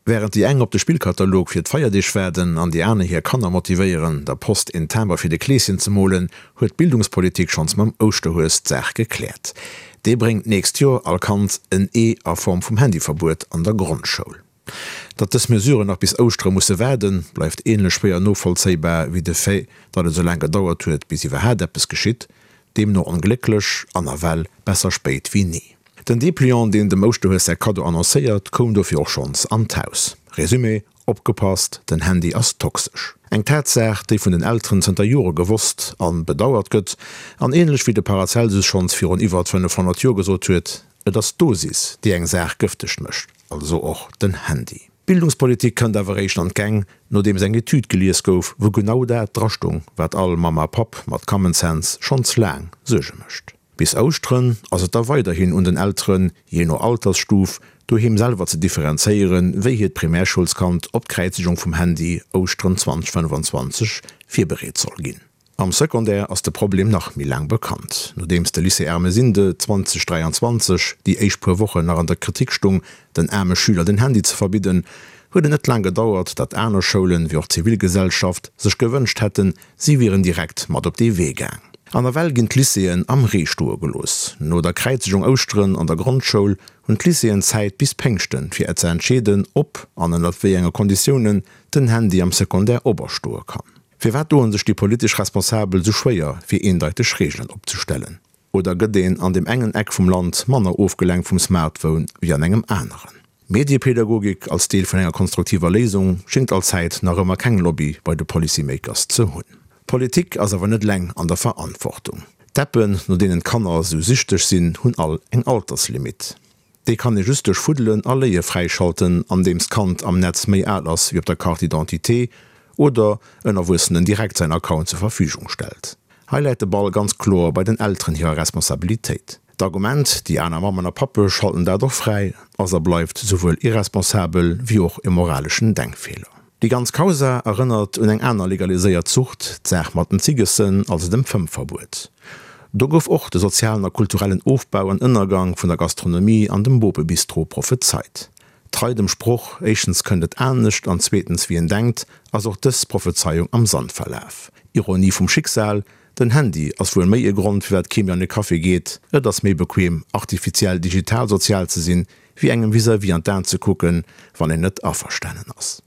Wärend déi eng op de Spillkatalog fir d'Feierdeeg waarden an déi aner hir Kanner motivéieren, der Post een Timber fir de Kleeschen ze molen, huet d'Bildungspolitik schonns mam Ouschterhues d'Saach gekläert. Dee bréngt d'nächst Joer all Kand en Ee a Form vum Handyverbuet an der Grondschoul. Datt dës Mesuren nach bis Ouschtere musse waarden, bleift änlech schwéier novollzéibar wéi de Fait, datt et esou laang gedauert huet, bis iwwerhaat eppes geschitt. Deemno onglécklech an nawell besser spéit wéi ni. Den Depliant, deen dem Ouschterhues säi Kaddo annoncéiert, koum dofir och schonns an d'Haus. Resumé, Opgepasst, den Handy ass toxesch. Eng Tatsaach, déi vun den Elteren zënter Jore gewosst an bedauert gëtt, an ähnlech wéi de Paracelsus schonns virun iwwert 500 Joer gesot huet, Et ass d'Dosis, déi eng Saach gëfteg mécht, also och den Handy. D'Bildungspolitik kënnt awer eréischt an d'Gäng, nodeems eng Etüd gelies gouf, wou genau dat drastung, wat all Mamm a Papp mat Common Sense schonns laang Suerge mécht. Bis Ouschteren ass et da weiderhin un den Elteren, jee no Altersstuf, doheem selwer ze differenzéieren, wéi hiert Primärschoulskand op d'Kräizegung vum Handy Ouschteren 2025 virbereet soll ginn. Am Secondaire ass de Problem nach méi laang bekannt. Nodeems de Lycée Ermesinde 2023 déi éischt puer Wochen nach an der Kritik stung, den aarme Schüler den Handy ze verbidden, huet et net laang gedauert, datt aner Schoulen, wéi och d'Zivilgesellschaft, sech gewënscht hätten, si wieren direkt mat op dee Wee gaang. An nawell ginn d'Lycéeën am Ree stoe gelooss. No der Kräizegung Ouschteren an der Grondschoul hunn d'Lycéeën Zäit bis Péngschten, fir ze entscheeden, ob an ënnert wéi enge Konditiounen den Handy am Secondaire operstoe kann. Firwat doen sech déi politesch Responsabel sou schwéier fir eendeiteg Reegelen opzestellen? Oder gëtt een an deem engen Eck vum Land manner ofgelenkt vum Smartphone wéi an engem aneren? Mediepädagogik als Deel vun enger konstruktiver Léisung schéngt allzäit nach ëmmer keng Lobby bei de Policymakers ze hunn. Politik ass awer net eleng an der Verantwortung. D'Appen, no deenen d'Kanner sou süchteg sinn, hunn all eng Alterslimit. Déi kann ee just duerch Fuddelen a Léie fräischalten, andeems d'Kand am Netz méi al ass wéi op der Carte d'identité oder en Erwuessenen direkt säin Account zur Verfügung stellt. Hei läit de Ball ganz kloer bei den Elteren hirer Responsabilitéit. D'Argument, déi aner Mammen a Pappe schalten dat och fräi, ass a bleift souwuel irresponsabel wéi och e moraleschen Denkfeeler. Déi ganz Causa erënnert un eng aner legaliséiert Sucht, d'Saach mat den Ziggessen, also dem Fëmmverbuet. Do gouf och de sozialen a kulturellen Ofbau an Ënnergang vun der Gastronomie an dem Bopebistro prophezeit. Trei dem Sproch, éischtens kënnt et anescht an zweetens wéi een denkt, ass och dës Prophezeiung am Sand verlaf. Ironie vum Schicksal, den Handy ass wuel méi e Grond firwat kee méi an e Café geet, et ass méi bequem artifiziell digital sozial ze sinn, wéi engem vis-à-vis an d'Aen ze kucken, wann een net averstanen ass.